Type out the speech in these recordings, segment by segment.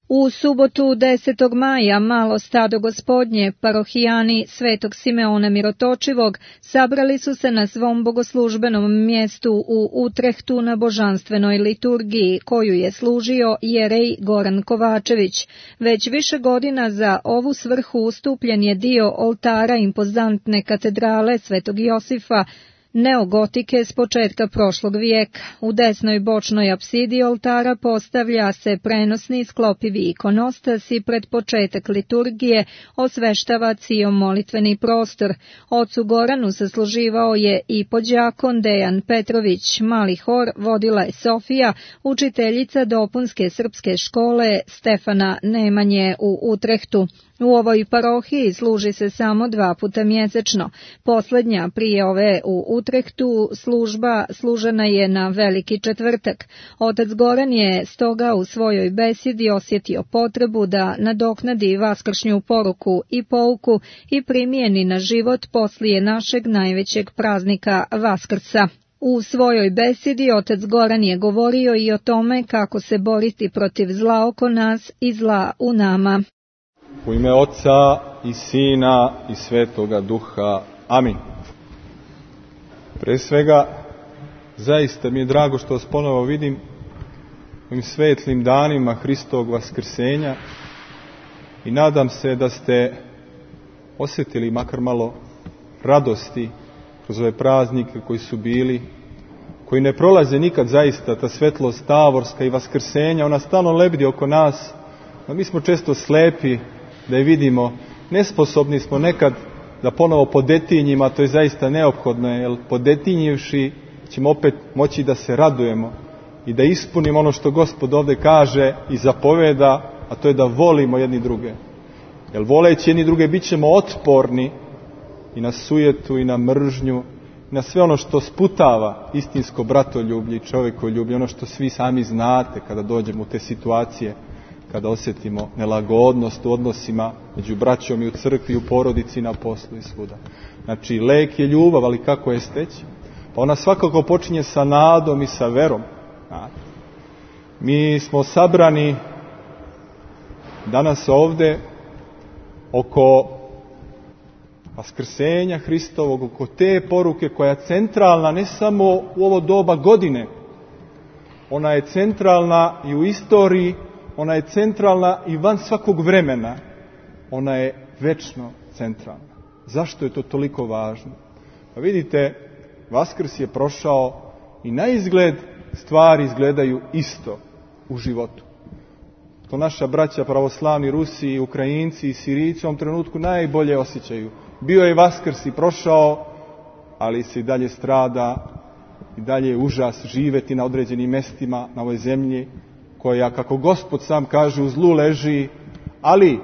U subotu 10. maja malo stado Gospodnje, parohijani Svetog Simeona Mirotočivog, sabrali su se na svom bogoslužbenom mjestu u Utrehtu na božanstvenoj liturgiji, koju je služio jerej Goran Kovačević. Već više godina za ovu svrhu ustupljen je dio oltara impozantne katedrale Svetog Josifa, neogotike s početka prošlog vijeka. U desnoj bočnoj apsidi oltara postavlja se prenosni sklopivi ikonostas i pred početak liturgije osveštava cijom molitveni prostor. Ocu Goranu sasluživao je i podjakon Dejan Petrović, mali hor vodila je Sofija, učiteljica dopunske srpske škole Stefana Nemanje u Utrehtu. U ovoj parohiji služi se samo 2 puta mjesečno. Posljednja prije ove u Utrehtu služba služena je na Veliki četvrtak. Otac Goran je stoga u svojoj besedi osjetio potrebu da nadoknadi vaskršnju poruku i pouku i primijeni na život poslije našeg najvećeg praznika Vaskrsa. U svojoj besedi otac Goran je govorio i o tome kako se boriti protiv zla oko nas i zla u nama. U ime Oca i Sina i Svetoga Duha. Amin. Pre svega, zaista mi je drago što vas ponovo vidim u ovim svetlim danima Hristovog vaskrsenja i nadam se da ste osjetili makar malo radosti kroz ove praznike koji su bili, koji ne prolaze nikad zaista, ta svetlost tavorska i vaskrsenja, ona stalno lebdi oko nas, a mi smo često slepi da je vidimo, nesposobni smo nekad da ponovo podetinjimo, a to je zaista neophodno, jer podetinjivši ćemo opet moći da se radujemo i da ispunimo ono što Gospod ovdje kaže i zapoveda, a to je da volimo jedni druge. Jer voleći jedni druge bit ćemo otporni i na sujetu i na mržnju, i na sve ono što sputava istinsko bratoljublje i čovjekoljublje, ono što svi sami znate kada dođemo u te situacije, kada osjetimo nelagodnost u odnosima među braćom i u crkvi, i u porodici, i na poslu i svuda. Znači, lek je ljubav, ali kako je steći? Pa ona svakako počinje sa nadom i sa verom. Mi smo sabrani danas ovde oko vaskrsenja Hristovog, oko te poruke koja je centralna ne samo u ovo doba godine, ona je centralna i u istoriji, ona je centralna i van svakog vremena. Ona je večno centralna. Zašto je to toliko važno? Pa vidite, Vaskrs je prošao i na izgled stvari izgledaju isto u životu. To naša braća pravoslavni Rusi, Ukrajinci i Sirijci u ovom trenutku najbolje osjećaju. Bio je Vaskrs i prošao, ali se i dalje strada, i dalje je užas živjeti na određenim mjestima na ovoj zemlji, koja, kako Gospod sam kaže, u zlu leži, ali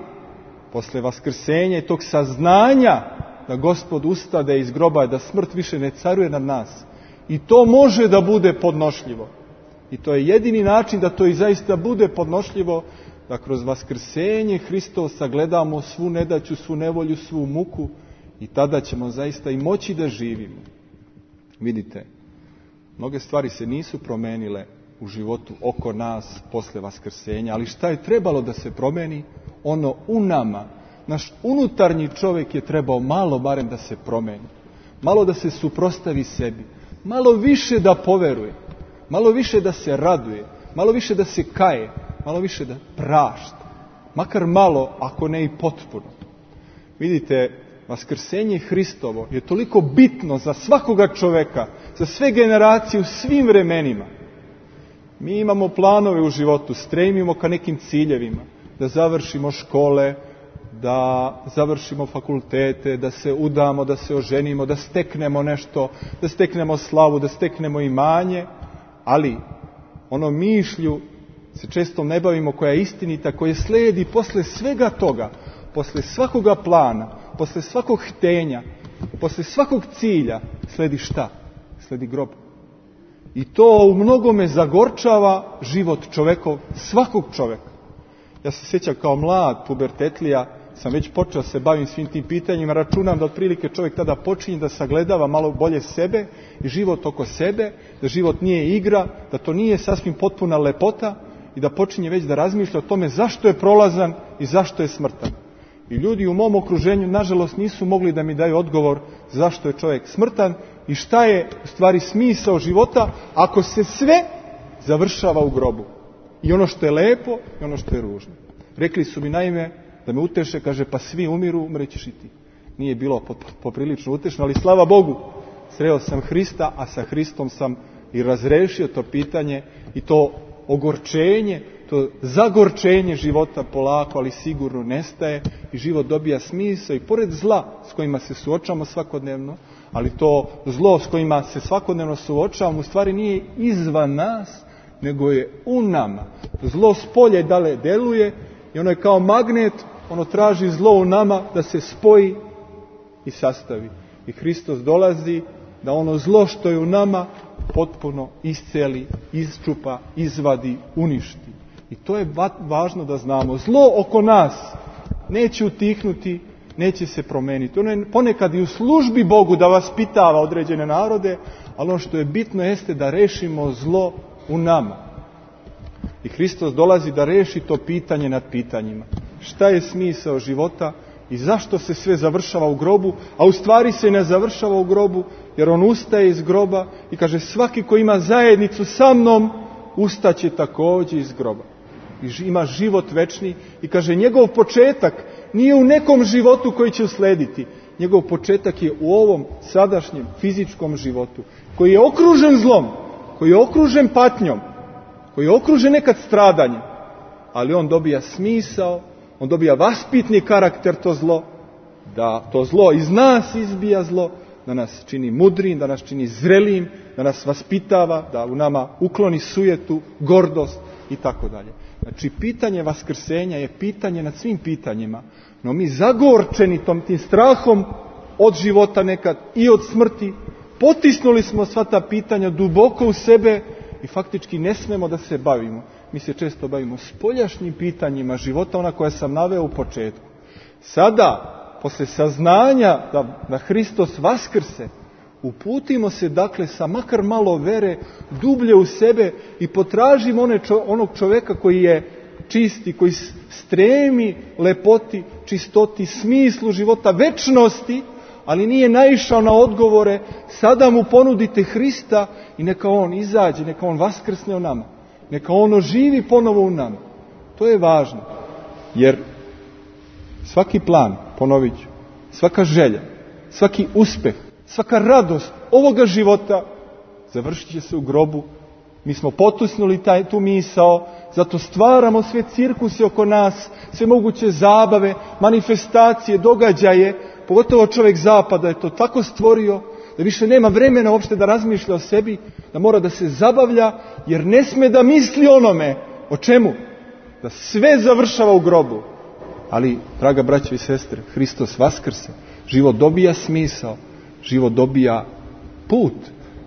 posle vaskrsenja i tog saznanja da Gospod ustade iz groba, da smrt više ne caruje nad nas. I to može da bude podnošljivo. I to je jedini način da to i zaista bude podnošljivo, da kroz vaskrsenje Hristov sagledamo svu nedaću, svu nevolju, svu muku i tada ćemo zaista i moći da živimo. Vidite, mnoge stvari se nisu promenile u životu oko nas posle vaskrsenja, ali šta je trebalo da se promeni? Ono u nama. Naš unutarnji čovjek je trebao malo barem da se promeni. Malo da se suprotstavi sebi. Malo više da poveruje. Malo više da se raduje. Malo više da se kaje. Malo više da prašta. Makar malo, ako ne i potpuno. Vidite, vaskrsenje Hristovo je toliko bitno za svakoga čovjeka, za sve generacije u svim vremenima. Mi imamo planove u životu, stremimo ka nekim ciljevima, da završimo škole, da završimo fakultete, da se udamo, da se oženimo, da steknemo nešto, da steknemo slavu, da steknemo imanje, ali ono mišlju se često ne bavimo, koja je istinita, koja slijedi posle svega toga, posle svakoga plana, posle svakog htenja, posle svakog cilja, sledi šta? Sledi grob. I to u mnogome zagorčava život čovekov, svakog čoveka. Ja se sjećam kao mlad pubertetlija, sam već počeo se bavim svim tim pitanjima, računam da otprilike čovjek tada počinje da sagledava malo bolje sebe i život oko sebe, da život nije igra, da to nije sasvim potpuna lepota i da počinje već da razmišlja o tome zašto je prolazan i zašto je smrtan. I ljudi u mom okruženju, nažalost, nisu mogli da mi daju odgovor zašto je čovjek smrtan i šta je u stvari smisao života ako se sve završava u grobu. I ono što je lepo i ono što je ružno. Rekli su mi naime da me uteše, kaže, pa svi umiru, umrećeš i ti. Nije bilo poprilično utešno, ali slava Bogu, sreo sam Hrista, a sa Hristom sam i razrešio to pitanje i to ogorčenje, to zagorčenje života polako, ali sigurno nestaje i život dobija smisao i pored zla s kojima se suočavamo svakodnevno, ali to zlo s kojima se svakodnevno suočavamo u stvari nije izvan nas, nego je u nama. Zlo spolje dale deluje i ono je kao magnet, ono traži zlo u nama da se spoji i sastavi. I Hristos dolazi da ono zlo što je u nama potpuno isceli, isčupa, izvadi, uništi. I to je važno da znamo. Zlo oko nas neće utihnuti, neće se promeniti. Ono je ponekad i u službi Bogu da vaspitava određene narode, ali ono što je bitno jeste da rešimo zlo u nama. I Hristos dolazi da reši to pitanje nad pitanjima. Šta je smisao života i zašto se sve završava u grobu, a u stvari se ne završava u grobu, jer on ustaje iz groba i kaže svaki ko ima zajednicu sa mnom, ustaće također iz groba. I ima život večni i kaže njegov početak nije u nekom životu koji će uslediti. Njegov početak je u ovom sadašnjem fizičkom životu, koji je okružen zlom, koji je okružen patnjom, koji je okružen nekad stradanjem, ali on dobija smisao, on dobija vaspitni karakter to zlo, da to zlo iz nas izbija zlo, da nas čini mudrim, da nas čini zrelim, da nas vaspitava, da u nama ukloni sujetu, gordost i tako dalje. Znači, pitanje vaskrsenja je pitanje nad svim pitanjima, no mi zagorčeni tim strahom od života nekad i od smrti, potisnuli smo sva ta pitanja duboko u sebe i faktički ne smemo da se bavimo. Mi se često bavimo spoljašnjim pitanjima života, ona koja sam naveo u početku. Sada, posle saznanja da Hristos vaskrse, uputimo se dakle sa makar malo vere dublje u sebe i potražimo onog čoveka koji je čisti, koji stremi lepoti, čistoti, smislu života, večnosti, ali nije naišao na odgovore. Sada mu ponudite Hrista i neka on izađe, neka on vaskrsne u nama, neka on oživi ponovo u nama. To je važno, jer svaki plan, ponovit ću, svaka želja, svaki uspeh, svaka radost ovoga života završit će se u grobu. Mi smo potusnuli tu misao, zato stvaramo sve cirkuse oko nas, sve moguće zabave, manifestacije, događaje, pogotovo čovjek zapada je to tako stvorio da više nema vremena uopšte da razmišlja o sebi, da mora da se zabavlja, jer ne sme da misli onome. O čemu? Da sve završava u grobu. Ali, draga braćo i sestre, Hristos vaskrse, život dobija smisao, život dobija put,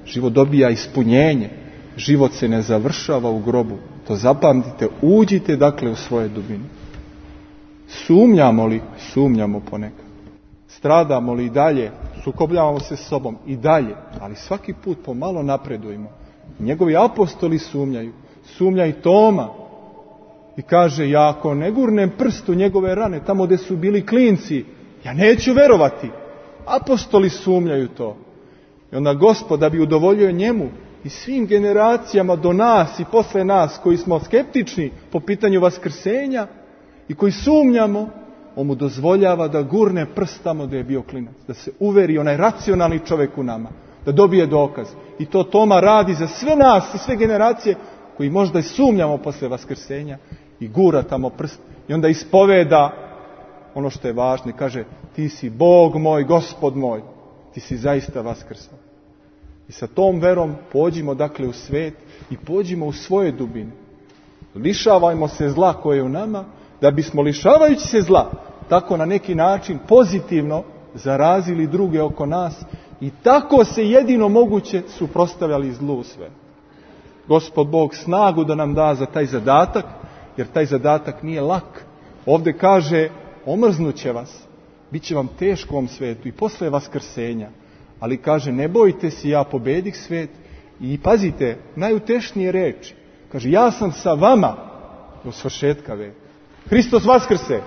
život dobija ispunjenje, život se ne završava u grobu. To zapamtite, uđite dakle u svoje dubine. Sumnjamo li? Sumnjamo ponekad. Stradamo li i dalje? Sukobljavamo se s sobom i dalje, ali svaki put pomalo napredujemo. Njegovi apostoli sumnjaju. Sumnja i Toma. I kaže, ja ako ne gurnem prst u njegove rane, tamo gdje su bili klinci, ja neću verovati. Apostoli sumnjaju to. I onda Gospod, da bi udovoljio njemu i svim generacijama do nas i posle nas, koji smo skeptični po pitanju vaskrsenja i koji sumnjamo, on mu dozvoljava da gurne prst tamo gdje je bio klinac. Da se uveri onaj racionalni čovjek u nama. Da dobije dokaz. I to Toma radi za sve nas i sve generacije koji možda i sumnjamo posle vaskrsenja i gura tamo prst i onda ispoveda ono što je važno i kaže, ti si Bog moj, Gospod moj, ti si zaista vaskrsao. I sa tom verom pođimo dakle u svet i pođimo u svoje dubine. Lišavajmo se zla koje je u nama, da bismo lišavajući se zla tako na neki način pozitivno zarazili druge oko nas i tako se jedino moguće suprotstavljali zlu sve. Gospod Bog snagu da nam da za taj zadatak, jer taj zadatak nije lak. Ovdje kaže, omrznuće vas, bit će vam teško u ovom svetu i posle vaskrsenja. Ali kaže, ne bojte se, ja pobedih svet. I pazite, najutešnije reči. Kaže, ja sam sa vama do svršetka veka. Hristos vaskrse!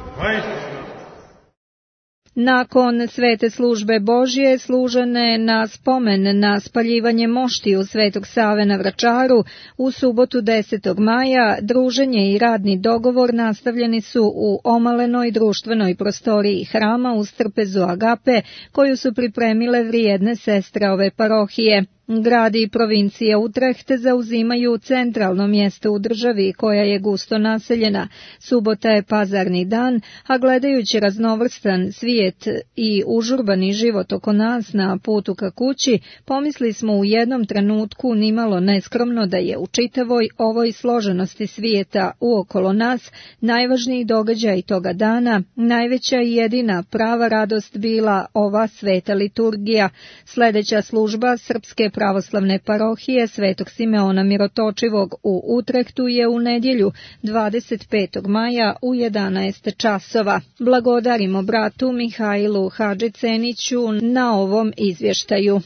Nakon svete službe Božje služene na spomen na spaljivanje moštiju Svetog Save na Vračaru u subotu 10. maja druženje i radni dogovor nastavljeni su u omalenoj društvenoj prostoriji hrama uz trpezu Agape koju su pripremile vrijedne sestre ove parohije. Grad i provincija Utrecht zauzimaju centralno mjesto u državi koja je gusto naseljena. Subota je pazarni dan, a gledajući raznovrstan svijet i užurbani život oko nas na putu ka kući, pomisli smo u jednom trenutku nimalo neskromno da je u čitavoj ovoj složenosti svijeta uokolo nas najvažniji događaj toga dana, najveća i jedina prava radost bila ova sveta liturgija. Sljedeća služba Srpske pravoslavne parohije Svetog Simeona Mirotočivog u Utrehtu je u nedjelju 25. maja u 11 časova. Blagodarimo bratu Mihajlu Hadžiceniću na ovom izvještaju.